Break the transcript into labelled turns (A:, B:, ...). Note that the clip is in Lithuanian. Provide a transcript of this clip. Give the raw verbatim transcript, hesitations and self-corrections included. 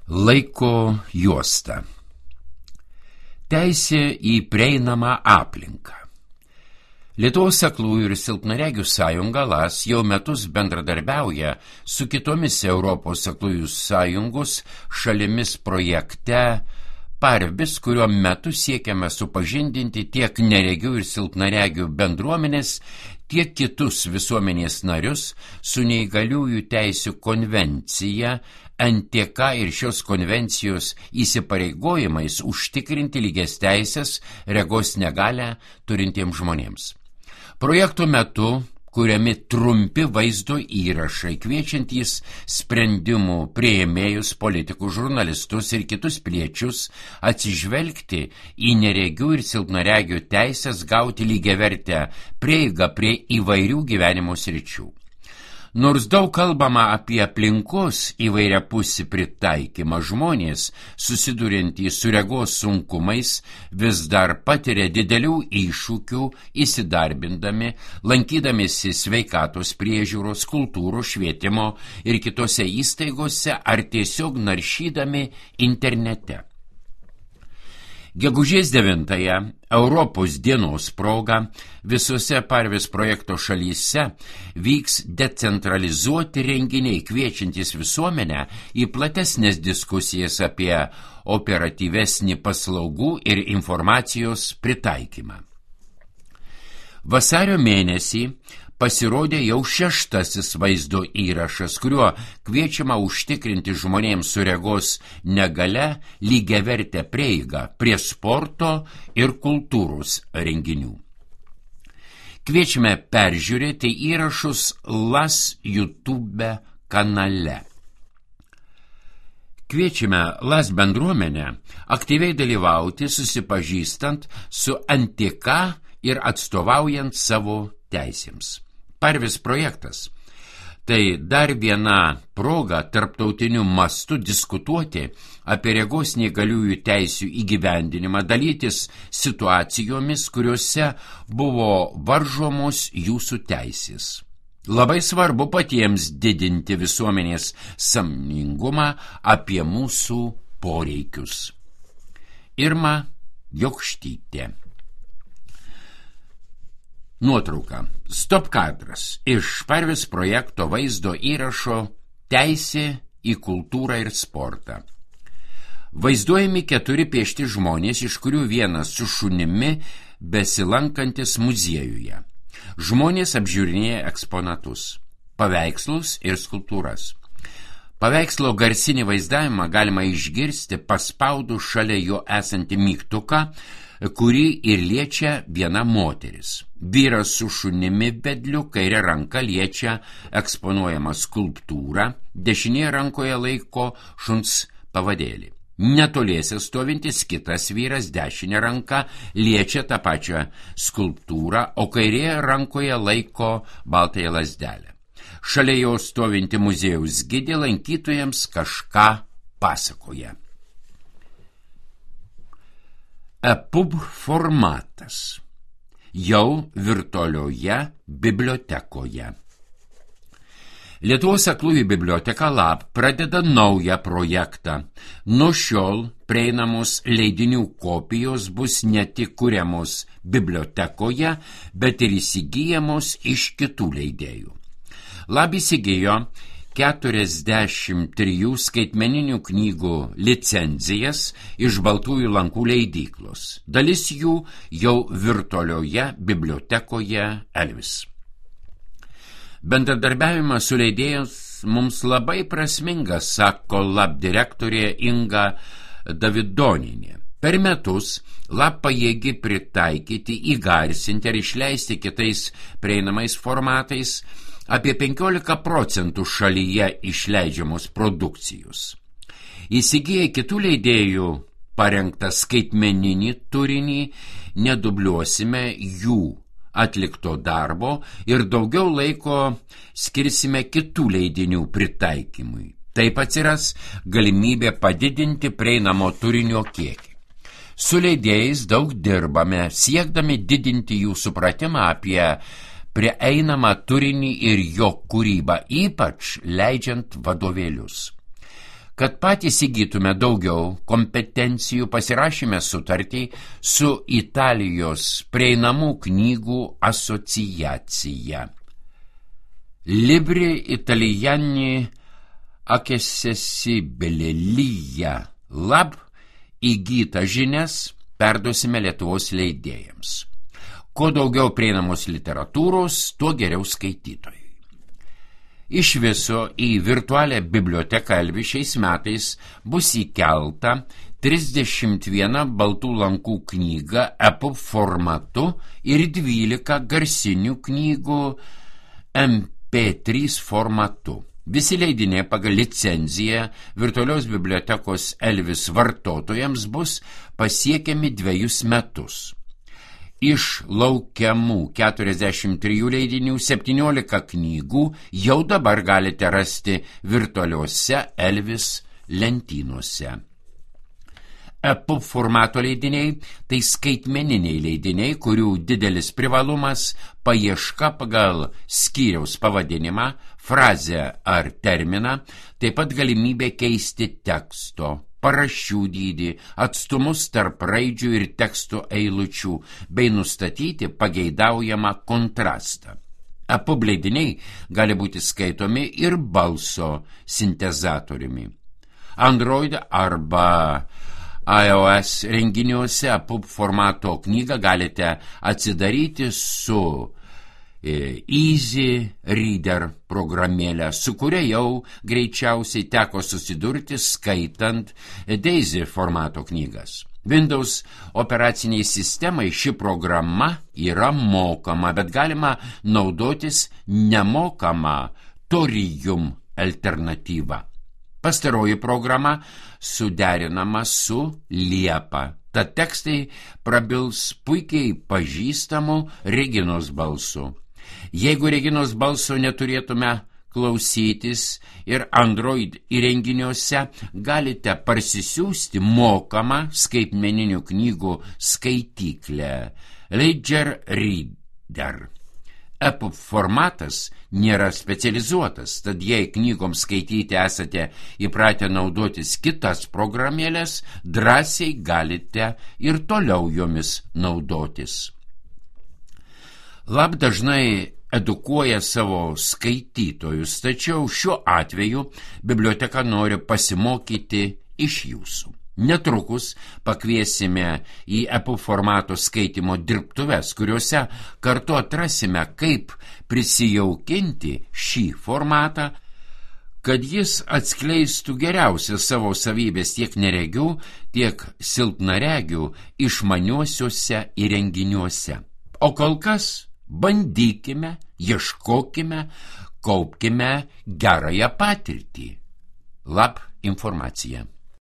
A: Laiko juosta. Teisė į prieinamą aplinką. Lietuvos aklųjų ir silpnaregių sąjunga L A S jau metus bendradarbiauja su kitomis Europos aklųjų sąjungos šalimis projekte Parvis, kurio metu siekiame supažindinti tiek neregių ir silpnaregių bendruomenės, tiek kitus visuomenės narius su neįgaliųjų teisių konvencija, N T K ir šios konvencijos įsipareigojimais užtikrinti lygias teises regos negalią turintiems žmonėms. Projekto metu kuriami trumpi vaizdo įrašai, kviečiantys sprendimų priėmėjus, politikų, žurnalistus ir kitus piliečius atsižvelgti į neregių ir silpnaregių teisės gauti lygiavertę prieigą prie įvairių gyvenimo sričių. Nors daug kalbama apie aplinkos įvairiapusį pritaikymą, žmonės, susiduriantys su regos sunkumais, vis dar patiria didelių iššūkių įsidarbindami, lankydamiesi sveikatos priežiūros, kultūros, švietimo ir kitose įstaigose ar tiesiog naršydami internete. Gegužės devintąją Europos dienos proga visose Parvis projekto šalyse vyks decentralizuoti renginiai, kviečiantys visuomenę į platesnės diskusijas apie operatyvesnį paslaugų ir informacijos pritaikymą. Vasario mėnesį pasirodė jau šeštasis vaizdo įrašas, kuriuo kviečiama užtikrinti žmonėms su regos negalia lygiavertę prieigą prie sporto ir kultūros renginių. Kviečiame peržiūrėti įrašus L A S YouTube kanale. Kviečiame L A S bendruomenę aktyviai dalyvauti, susipažįstant su N T K ir atstovaujant savo teisėms. Parvis projektas – tai dar viena proga tarptautiniu mastu diskutuoti apie regos neįgaliųjų teisių įgyvendinimą, dalytis situacijomis, kuriuose buvo varžomos jūsų teisės. Labai svarbu patiems didinti visuomenės sąmoningumą apie mūsų poreikius. Irma Jokštytė. Nuotrauka. Stop kadras iš Parvis projekto vaizdo įrašo Teisė į kultūrą ir sportą. Vaizduojami keturi piešti žmonės, iš kurių vienas su šunimi besilankantis muziejuje. Žmonės apžiūrinėja eksponatus, paveikslus ir skulptūras. Paveikslo garsinį vaizdavimą galima išgirsti paspaudus šalia jo esantį mygtuką, kurį ir liečia viena moteris. Vyras su šunimi vedliu kairė ranka liečia eksponuojamą skulptūrą, dešinėje rankoje laiko šuns pavadėlį. Netoliese stovintis kitas vyras dešinė ranka liečia tą pačią skulptūrą, o kairėje rankoje laiko baltąją lazdelę. Šalia jo stovinti muziejaus gidė lankytojams kažką pasakoja. E-pub formatas jau virtualioje bibliotekoje. Lietuvos aklųjų biblioteka L A B pradeda naują projektą. Nuo šiol prieinamos leidinių kopijos bus ne tik kuriamos bibliotekoje, bet ir įsigyjamos iš kitų leidėjų. L A B įsigijo keturiasdešimt trijų skaitmeninių knygų licenzijas iš Baltųjų lankų leidyklos. Dalis jų jau virtualioje bibliotekoje Elvis. Bendradarbiavimas su leidėjais mums labai prasmingas, sako L A B direktorė Inga Davidonienė. Per metus L A B pajėgi pritaikyti, įgarsinti ar išleisti kitais prieinamais formatais apie penkiolika procentų šalyje išleidžiamos produkcijos. Įsigiję kitų leidėjų parengtą skaitmeninį turinį, nedubliuosime jų atlikto darbo ir daugiau laiko skirsime kitų leidinių pritaikymui. Taip atsiras galimybė padidinti prieinamo turinio kiekį. Su leidėjais daug dirbame, siekdami didinti jų supratimą apie prieinamą turinį ir jo kūrybą, ypač leidžiant vadovėlius. Kad patys įgytume daugiau kompetencijų, pasirašėme sutartį su Italijos prieinamų knygų asociacija. Libri Italiani accessibilija lab įgytą žinias perduosime Lietuvos leidėjams. Kuo daugiau prieinamos literatūros, tuo geriau skaitytojai. Iš viso į virtualią biblioteką Elvi šiais metais bus įkelta trisdešimt viena baltų lankų knyga E P U B formatu ir dvylika garsinių knygų M P trys formatu. Visi leidiniai pagal licenciją virtualios bibliotekos Elvis vartotojams bus pasiekiami dviejus metus. Iš laukiamų keturiasdešimt trijų leidinių septyniolika knygų jau dabar galite rasti virtualiuose Elvis lentynose. E P U B formato leidiniai tai skaitmeniniai leidiniai, kurių didelis privalumas paieška pagal skyriaus pavadinimą, frazę ar terminą, taip pat galimybė keisti teksto, paraščių dydį, atstumus tarp raidžių ir teksto eilučių, bei nustatyti pageidaujamą kontrastą. E P U B leidiniai gali būti skaitomi ir balso sintezatoriumi. Android arba iOS renginiuose E P U B formato knygą galite atsidaryti su Easy Reader programėlę, su kuria jau greičiausiai teko susidurti skaitant Daisy formato knygas. Windows operaciniai sistemai ši programa yra mokama, bet galima naudotis nemokama Torium alternatyva. Pastaroji programa suderinama su Liepa. Tad tekstai prabils puikiai pažįstamų Reginos balsu. Jeigu Reginos balso neturėtume klausytis ir Android įrenginiuose, galite parsisiųsti mokamą skaitmeninių knygų skaityklę Ledger Reader. E P U B formatas nėra specializuotas, tad jei knygoms skaityti esate įpratę naudotis kitas programėlės, drąsiai galite ir toliau jomis naudotis. Lab dažnai edukuoja savo skaitytojus, tačiau šiuo atveju biblioteka nori pasimokyti iš jūsų. Netrukus pakviesime į E P U B formato skaitymo dirbtuves, kuriuose kartu atrasime, kaip prisijaukinti šį formatą, kad jis atskleistų geriausias savo savybės tiek neregių, tiek silpnaregių išmaniuosiuose įrenginiuose. O kol kas bandykime, ieškokime, kaupkime gerąją patirtį. Lab informacija.